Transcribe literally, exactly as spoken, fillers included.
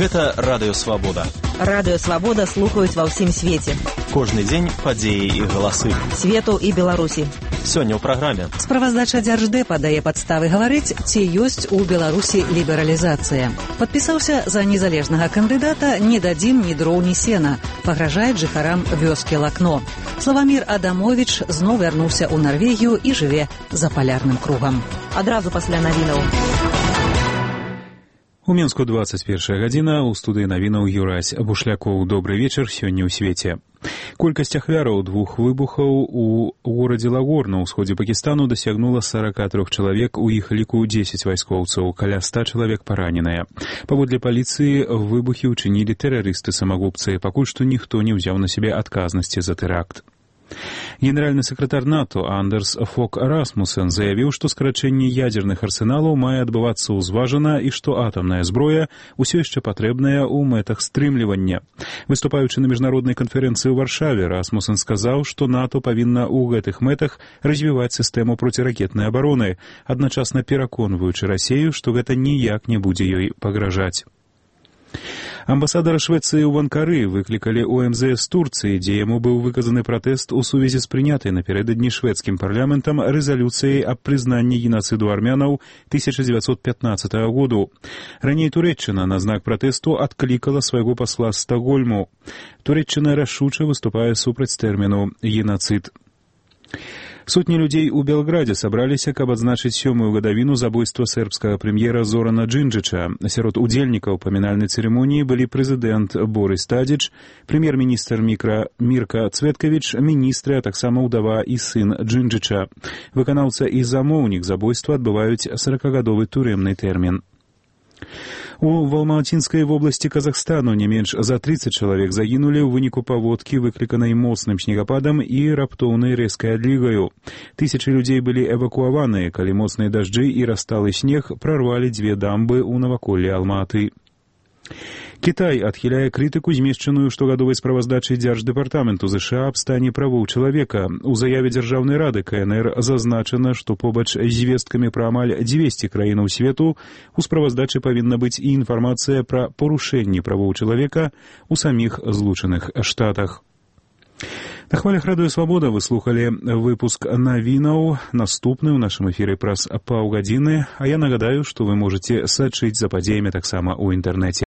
Гэта Радыё Свабода. Радыё Свабода слухаюць ва ўсім свеце. Кожны дзень падзеі і галасы. Свету і Беларусі. Сёння ў праграме. Справаздача Дзярждэпа дае падставы гаварыць, ці ёсць у Беларусі лібералізацыя. Падпісаўся за незалежнага кандыдата «Не дадзім ні дроў, ні сена». Пагражае жыхарам вёскі Лакно. Славамір Адамовіч зноў вярнуўся ў Нарвегію і жыве за палярным кругам. Адразу пасля навінаў. У Мінску двадцать першая гадзіна, у студыі навінаў Юрась Бушлякоў. Добры вечар сёння ў свеце. Колькасць ахвяраў двух выбухаў у горадзе Лагор на ўсходзе Пакістану дасягнула сорок три чалавек, у іх ліку дзесяць вайскоўцаў, каля ста чалавек параненыя. Паводле паліцыі, выбухі ўчынілі тэрарысты-самагубцы, пакуль што ніхто не ўзяў на сябе адказнасці за тэракт. Генеральны сакратар НАТО Андерс Фок Расмусен заявіў, што скарачэнне ядзерных арсеналаў мае адбывацца ўзважана і што атамная зброя ўсё яшчэ патрэбная ў мэтах стрымлівання. Выступаючы на міжнароднай канферэнцыі ў Варшаве, Расмусен сказаў, што НАТО павінна ў гэтых мэтах развіваць сістэму проціракетнай абароны, адначасна пераконваючы Расею, што гэта ніяк не будзе ёй пагражаць. Амбасадара Швецыі ў Анкары выклікалі ў эм зэ эс Турцыі, дзе яму быў выказаны пратэст у сувязі з прынятай напярэдадні шведскім парламентам рэзалюцыяй аб прызнанні генацыду армянаў тысяча дзевяцьсот пятнаццатага году. Раней Турэччына на знак пратэсту адклікала свайго пасла з Стакгольму. Турэччына рашуча выступае супраць тэрміну «генацыд». Сотні людзей у Белградзе сабраліся, каб адзначыць сёмую гадавіну забойства сербскага прэм'ера Зорана Джинджыча. Сярод удзельнікаў памінальнай цырымоніі былі прэзідэнт Борис Тадзіч, прэм'ер-міністр Мікра Мірка Цветкавіч, міністры, а таксама ўдава і сын Джинджыча. Выканаўца і замоўнік забойства адбываюць сорокагадовы турэмны тэрмін. У Алматинскай вобласці Казахстану не менш за тридцать чалавек загінулі ў выніку паводкі, выкліканай моцным снегападам і раптоўнай рэзкай адлігаю. Тысячы людзей былі эвакуаваныя, калі моцныя дажджы і расталы снег прарвалі дзве дамбы ў наваколлі Алматы. Кітай адхіляе крытыку, змешчаную штогадовай справаздачай Дзярждэпартаменту ЗША аб стане правоў чалавека. У заяве Дзяржаўнай рады ка эн эр зазначана, што побач з звесткамі пра амаль дзвесце краінаў свету у справаздачы павінна быць і інфармацыя пра парушэнні правоў чалавека ў саміх Злучаных Штатах. На хвалях Радыё Свабода вы слухалі выпуск навінаў. Наступны ў нашым эфіры праз паўгадзіны, а я нагадаю, што вы можаце сачыць за падзеямі таксама ў інтэрнэце.